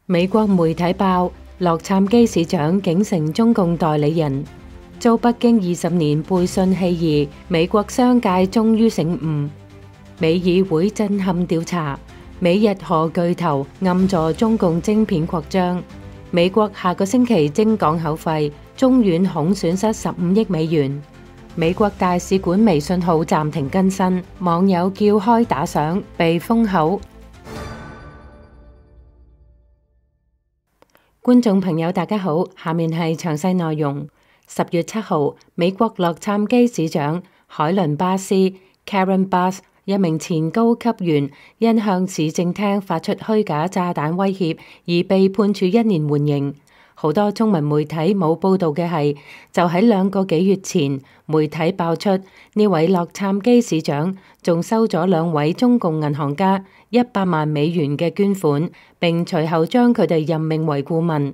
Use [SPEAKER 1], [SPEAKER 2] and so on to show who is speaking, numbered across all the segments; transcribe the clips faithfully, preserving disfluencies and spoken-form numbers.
[SPEAKER 1] 美國媒體爆，洛杉磯市長竟成中共代理人，遭北京二十年背信棄義，美國商界終於醒悟。美議會震撼調查，美日荷巨頭暗助中共晶片擴張。美國下個星期徵港口費，中遠恐損失十五億美元。美國大使館微信號暫停更新，網友叫開打賞被封口。觀眾朋友大家好，下面係詳細內容。十月七號，美國洛杉磯市長海倫巴斯 Karen Bass 一名前高級員因向市政廳發出虛假炸彈威脅而被判處一年緩刑。好多中文媒體冇報道嘅係，就喺兩個幾月前，媒體爆出呢位洛杉磯市長仲收咗兩位中共銀行家一百萬美元嘅捐款，並隨後將佢哋任命為顧問。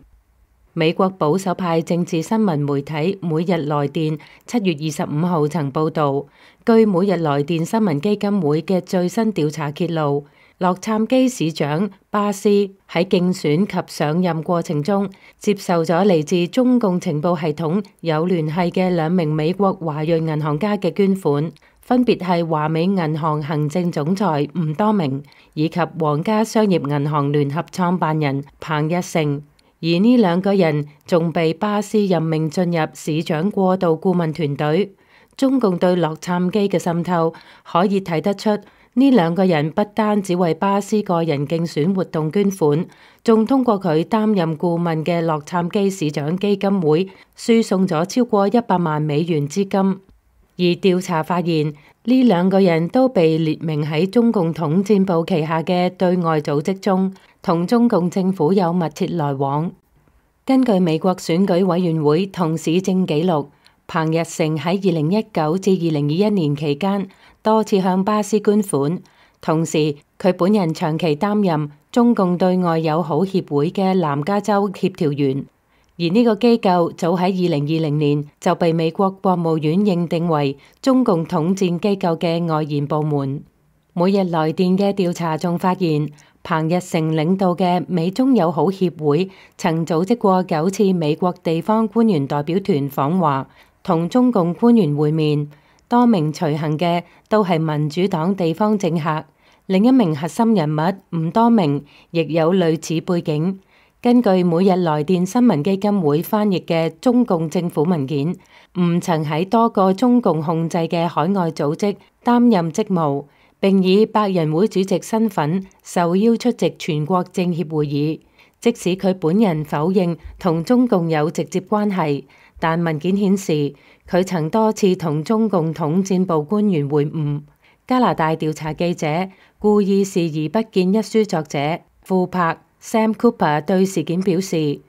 [SPEAKER 1] 美國保守派政治新聞媒體每日來電七月二十五號曾報道，據每日來電新聞基金會嘅最新調查揭露，洛杉磯市長巴斯喺競選及上任過程中，接受咗嚟自中共情報系統有聯繫嘅兩名美國華裔銀行家嘅捐款，分別係華美銀行行政總裁吳多明以及皇家商業銀行聯合創辦人彭日成。而呢兩個人仲被巴斯任命進入市長過渡顧問團隊。中共對洛杉磯嘅滲透可以睇得出，呢兩個人不單只為巴斯個人競選活動捐款，仲通過佢擔任顧問嘅洛杉磯市長基金會輸送咗超過一百萬美元資金。而調查發現，呢兩個人都被列明喺中共統戰部旗下嘅對外組織中，同中共政府有密切來往。根據美國選舉委員會同市政記錄，彭日成喺二零一九至二零二一年期間多次向巴斯捐款，同時佢本人長期擔任中共對外友好協會嘅南加州協調員。而呢個機構早喺二零二零年就被美國國務院認定為中共統戰機構嘅外延部門。每日來電嘅調查仲發現，彭日成領導嘅美中友好協會曾組織過九次美國地方官員代表團訪華，同中共官員會面，多名隨行嘅都係民主黨地方政客。另一名核心人物吳多明亦有類似背景。根據每日來電新聞基金會翻譯嘅中共政府文件，吳曾喺多個中共控制嘅海外組織擔任職務，並以百人會主席身份受邀出席全國政協會議。即使佢本人否認同中共有直接關係，但文件顯示佢曾多次同中共統戰部官員會晤。加拿大調查記者故意視而不見一書作者傅柏 Sam Cooper 對事件表示，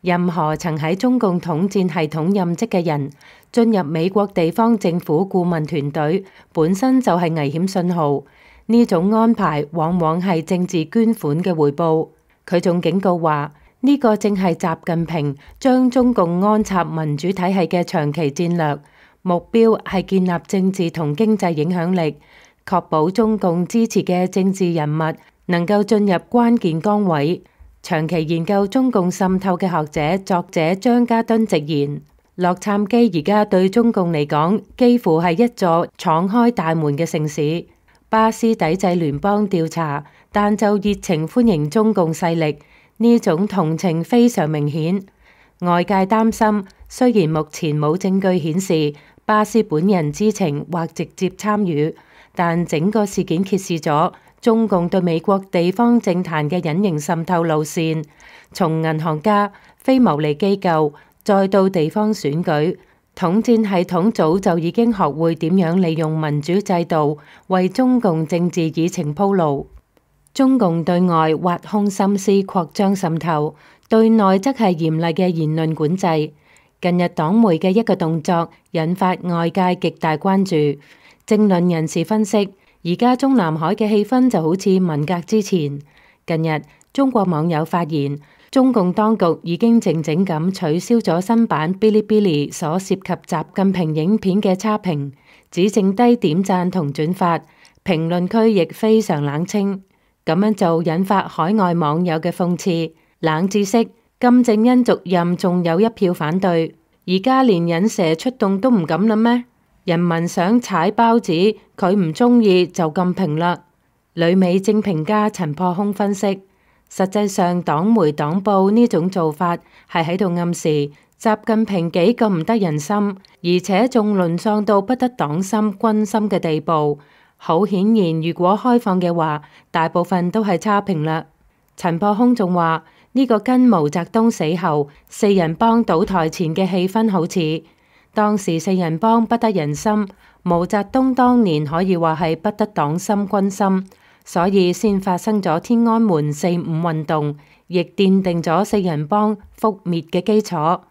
[SPEAKER 1] 任何曾喺中共統戰系統任職嘅人進入美國地方政府顧問團隊，本身就係危險信號。呢種安排往往係政治捐款嘅回報。佢仲警告話，呢個正係習近平將中共安插民主體系嘅長期戰略，目標係建立政治同經濟影響力，確保中共支持嘅政治人物能夠進入關鍵崗位。長期研究中共滲透嘅學者作者張家敦直言，洛杉磯而家對中共嚟講幾乎係一座敞開大門嘅城市。巴斯抵制聯邦調查，但就熱情歡迎中共勢力，呢種同情非常明顯。外界擔心，雖然目前冇證據顯示巴斯本人知情或直接參與，但整個事件揭示咗中共對美國地方政壇嘅隱形滲透路線，從銀行家、非牟利機構，再到地方選舉，統戰系統早就已經學會點樣利用民主制度為中共政治議程鋪路。中共對外挖空心思擴張滲透，對內則係嚴厲嘅言論管制。近日黨媒嘅一個動作引發外界極大關注。政論人士分析，而家中南海嘅氣氛就好似文革之前。近日中國網友發現，中共當局已經靜靜咁取消咗新版嗶哩嗶哩所涉及習近平影片嘅差評，只剩低點讚同轉發，評論區亦非常冷清。咁樣就引發海外網友嘅諷刺。冷知識：金正恩續任仲有一票反對，而家連引蛇出洞都唔敢啦咩？人民想踩包子，佢唔中意就咁評啦。旅美正評家陳破空分析，實際上黨媒黨報呢種做法係喺度暗示習近平幾咁唔得人心，而且仲淪喪到不得黨心軍心嘅地步。好顯然，如果開放嘅話，大部分都係差評啦。陳破空仲話呢個跟毛澤東死後四人幫倒台前嘅氣氛好似，當時四人幫不得人心，毛澤東當年可以話係不得黨心軍心，所以先發生咗天安門四五運動，亦奠定咗四人幫覆滅嘅基礎。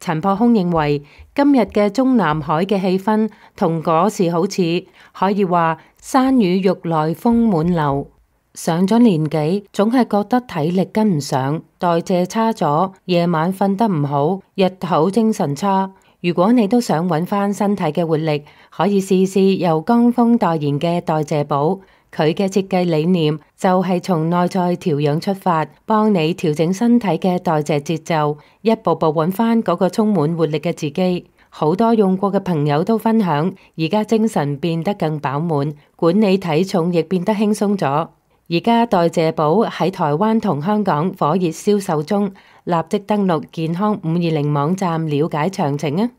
[SPEAKER 1] 陳破空認為今日嘅中南海嘅氣氛同嗰時好似，可以話山雨欲來風滿樓。上咗年紀，總係覺得體力跟唔上，代謝差咗，夜晚瞓得唔好，日頭精神差。如果你都想揾翻身體嘅活力，可以試試由江峰代言嘅代謝寶。佢嘅設計理念就係從內在調養出發，幫你調整身體嘅代謝節奏，一步步揾翻嗰個充滿活力嘅自己。好多用過嘅朋友都分享，而家精神變得更飽滿，管理體重亦變得輕鬆咗。而家代謝寶喺台灣同香港火熱銷售中，立即登錄健康五二零網站了解詳情啊！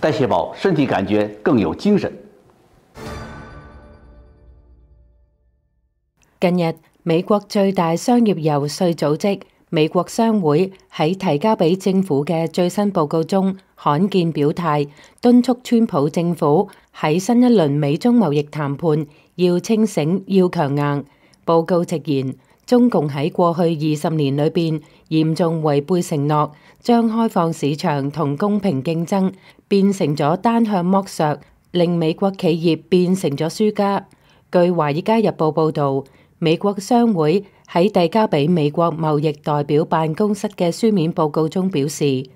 [SPEAKER 2] 代謝寶，身體感覺更有精神。
[SPEAKER 1] 近日，美國最大商業遊說組織美國商會喺提交俾政府嘅最新報告中，罕見表態，敦促川普政府喺新一輪美中貿易談判要清醒、要強硬。報告直言，中共喺過去二十年裏邊嚴重違背承諾，將開放市場同公平競爭變成咗單向剝削，令美國企業變成咗輸家。據《華爾街日報》報導，美國商會喺遞交俾美國貿易代表辦公室嘅書面報告中表示，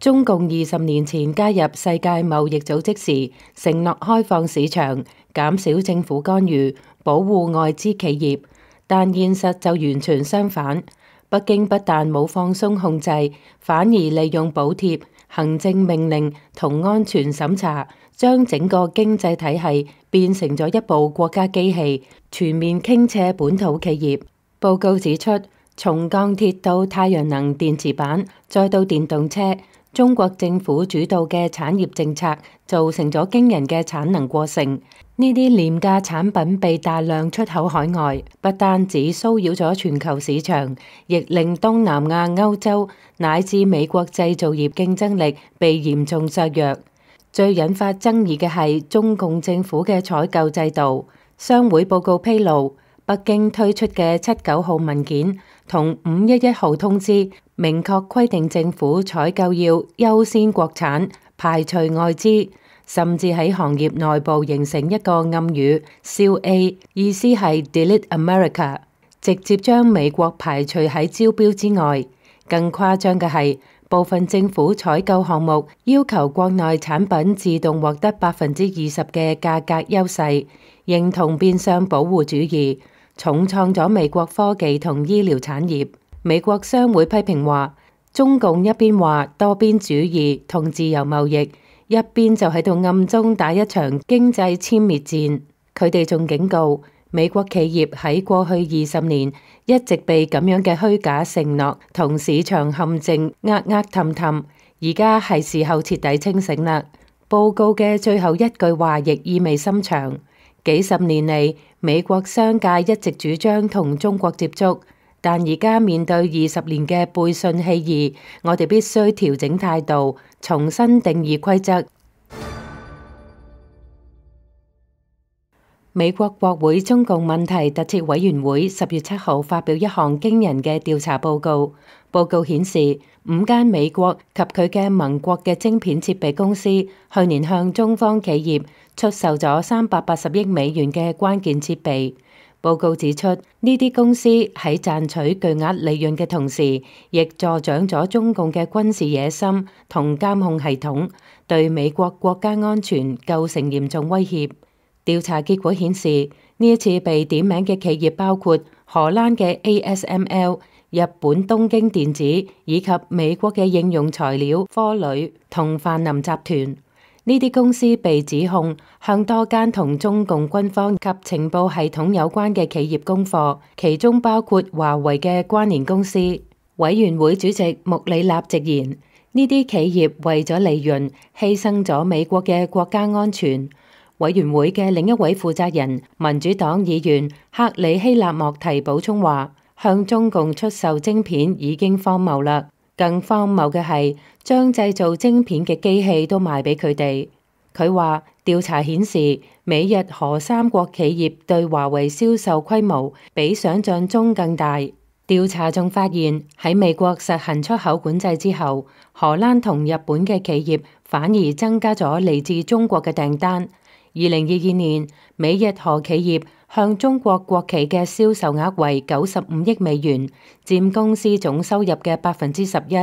[SPEAKER 1] 中共二十年前加入世界貿易組織時，承諾開放市場、減少政府干預、保護外資企業。但現實就完全相反，北京不但冇放鬆控制，反而利用補貼、行政命令同安全審查，將整個經濟體系變成咗一部國家機器，全面傾斜本土企業。報告指出，從鋼鐵到太陽能電池板，再到電動車，中國政府主導嘅產業政策造成咗驚人嘅產能過剩。呢啲廉價產品被大量出口海外，不單止騷擾咗全球市場，亦令東南亞、歐洲乃至美國製造業競爭力被嚴重削弱。最引發爭議嘅係中共政府嘅採購制度。商會報告披露，北京推出嘅七九號文件同五一一號通知，明確規定政府採購要優先國產，排除外資。甚至喺行業內部形成一個暗語，笑 A， 意思係 Delete America， 直接將美國排除喺招標之外。更誇張嘅係，部分政府採購項目要求國內產品自動獲得百分之二十嘅價格優勢，認同變相保護主義，重創咗美國科技同醫療產業。美國商會批評話，中共一邊話多邊主義同自由貿易，一邊就喺度暗中打一場經濟殲滅戰。佢哋仲警告，美國企業喺過去二十年一直被咁樣嘅虛假承諾同市場陷阱呃呃氹氹，而家係時候徹底清醒啦。報告嘅最後一句話亦意味深長，幾十年嚟，美國商界一直主張同中國接觸，但而家面對二十年嘅背信棄義，我哋必須調整態度，重新定義規則。美國國會中共問題特設委員會十月七號發表一項驚人嘅調查報告。報告顯示，五間美國及佢嘅盟國嘅晶片設備公司去年向中方企業出售咗三百八十億美元嘅關鍵設備。報告指出，呢啲公司喺賺取巨額利潤嘅同時，亦助長咗中共嘅軍事野心同監控系統，對美國國家安全構成嚴重威脅。調查結果顯示，呢一次被點名嘅企業包括荷蘭嘅 A S M L、日本東京電子以及美國嘅應用材料科磊同泛林集團。呢啲公司被指控向多間同中共軍方及情報系統有關嘅企業供貨，其中包括華為嘅關聯公司。委員會主席穆里納直言，呢啲企業為咗利潤，犧牲咗美國嘅國家安全。委員會嘅另一位負責人，民主黨議員克里希納莫提補充話，向中共出售晶片已經荒謬啦。更荒謬嘅係將製造晶片嘅機器都賣俾佢哋。佢話調查顯示，美日荷三國企業對華為銷售規模比想象中更大。調查仲發現，喺美國實行出口管制之後，荷蘭同日本嘅企業反而增加咗嚟自中國嘅訂單。二零二二年，美日荷企業向中國國企嘅銷售額為九十五億美元，佔公司總收入嘅百分之十一。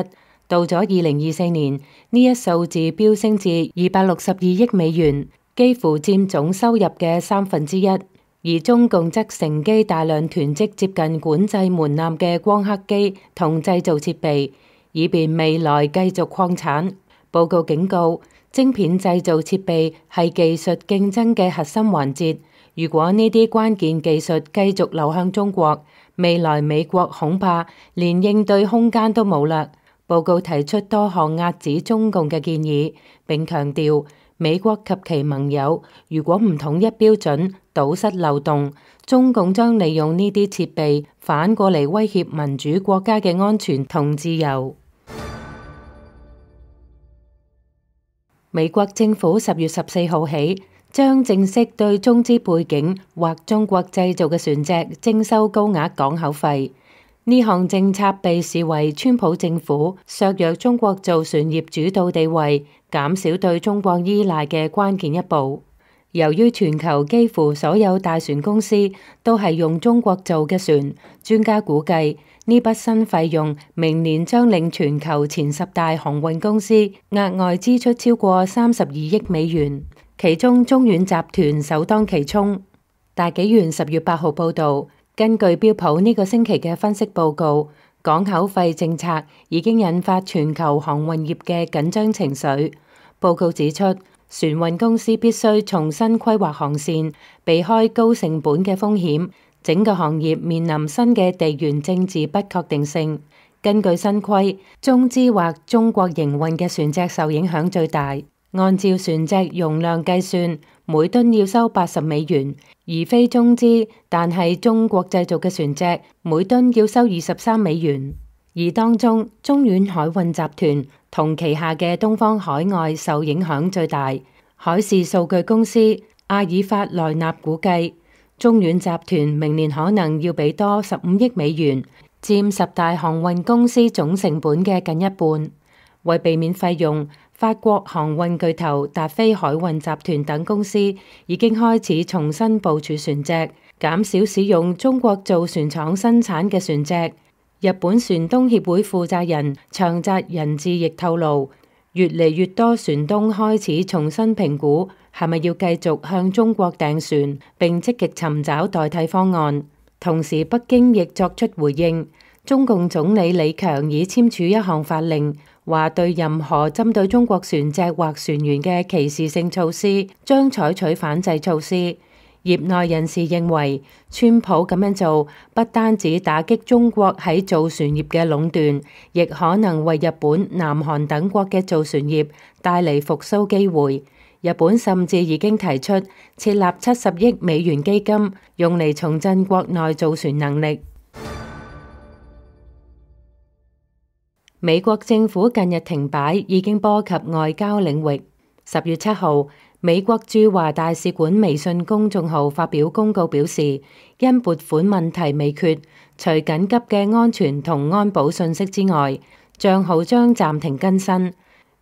[SPEAKER 1] 到咗二零二四年，呢一數字飆升至二百六十二億美元，幾乎佔總收入嘅三分之一。而中共則乘機大量囤積接近管制門檻嘅光刻機同製造設備，以便未來繼續擴產。報告警告，晶片製造設備係技術競爭嘅核心環節。如果呢啲關鍵技術繼續流向中國，未來美國恐怕連應對空間都冇啦。報告提出多項壓止中共嘅建議，並強調美國及其盟友如果唔統一標準，堵塞漏洞，中共將利用呢啲設備反過嚟威脅民主國家嘅安全同自由。美國政府十月十四號起將正式對中資背景或中國製造嘅船隻徵收高額港口費。呢項政策被視為川普政府削弱中國造船業主導地位、減少對中國依賴嘅關鍵一步。由於全球幾乎所有大船公司都係用中國做嘅船，專家估計呢筆新費用明年將令全球前十大航運公司額外支出超過三十二億美元，其中中遠集團首當其衝。大紀元十月八號報導，根據標普呢個星期嘅分析報告，港口費政策已經引發全球航運業嘅緊張情緒。報告指出，船運公司必須重新規劃航線，避開高成本嘅風險。整個行業面臨新嘅地緣政治不確定性。根據新規，中資或中國營運嘅船隻受影響最大。按照船隻容量計算，每噸要收八十美元，而非中資但係中國製造嘅船隻，每噸要收二十三美元。而當中，中遠海運集團同旗下嘅東方海外受影響最大。海事數據公司阿爾法萊納估計，中遠集團明年可能要俾多十五億美元，佔十大航運公司總成本嘅近一半。為避免費用，法國航運巨頭達飛海運集團等公司已經開始重新部署船隻，減少使用中國造船廠生產嘅船隻。日本船東協會負責人長澤仁志亦透露，越嚟越多船東開始重新評估係咪要繼續向中國訂船，並積極尋找代替方案。同時，北京亦作出回應，中共總理李強已簽署一項法令，話對任何針對中國船隻或船員嘅歧視性措施，將採取反制措施。業內人士認為，川普咁樣做不單止打擊中國喺造船業嘅壟斷，亦可能為日本、南韓等國嘅造船業帶嚟復甦機會。日本甚至已經提出設立七十億美元基金，用嚟重振國內造船能力。美國政府近日停擺已經波及外交領域。十月七號，美國駐華大使館微信公眾號發表公告表示，因撥款問題未決，除緊急嘅安全同安保信息之外，賬號將暫停更新。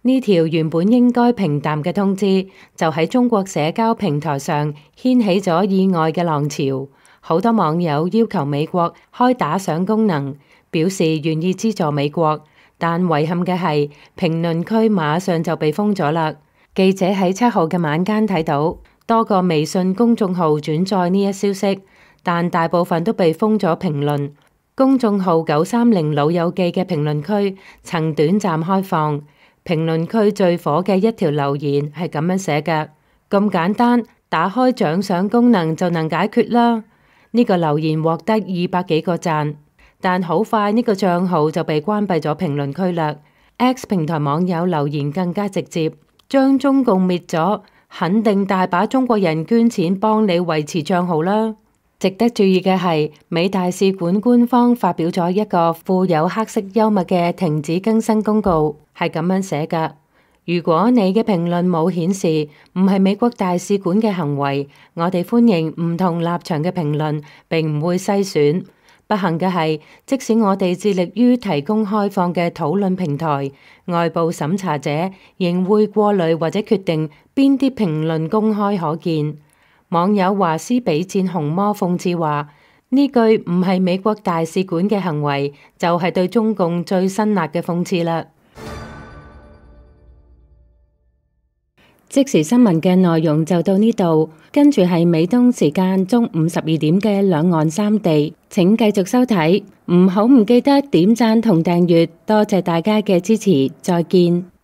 [SPEAKER 1] 呢條原本應該平淡嘅通知，就喺中國社交平台上掀起咗意外嘅浪潮。好多網友要求美國開打賞功能，表示願意資助美國，但遺憾嘅係評論區馬上就被封咗啦。記者喺七號嘅晚間睇到多個微信公眾號轉載呢一消息，但大部分都被封咗評論。公眾號九三零老友記嘅評論區曾短暫開放，評論區最火嘅一條留言係咁樣寫嘅：咁簡單，打開獎賞功能就能解決啦。呢個留言獲得二百幾個讚，但好快呢個賬號就被關閉咗評論區啦。X 平台網友留言更加直接，將中共滅咗，肯定大把中國人捐錢幫你維持賬號啦。值得注意嘅係，美大使館官方發表咗一個富有黑色幽默嘅停止更新公告，係咁樣寫㗎：如果你嘅評論冇顯示唔係美國大使館嘅行為，我哋歡迎唔同立場嘅評論，並唔會篩選。不幸嘅係，即使我哋致力於提供開放嘅討論平台，外部審查者仍會過濾或者決定邊啲評論公開可見。網友華斯比戰紅魔諷刺話：呢句唔係美國大使館嘅行為，就係對中共最辛辣嘅諷刺啦。即時新聞嘅內容就到呢度，跟住係美東時間中午十二點嘅兩岸三地，請繼續收睇，唔好唔記得點讚同訂閱，多謝大家嘅支持，再見。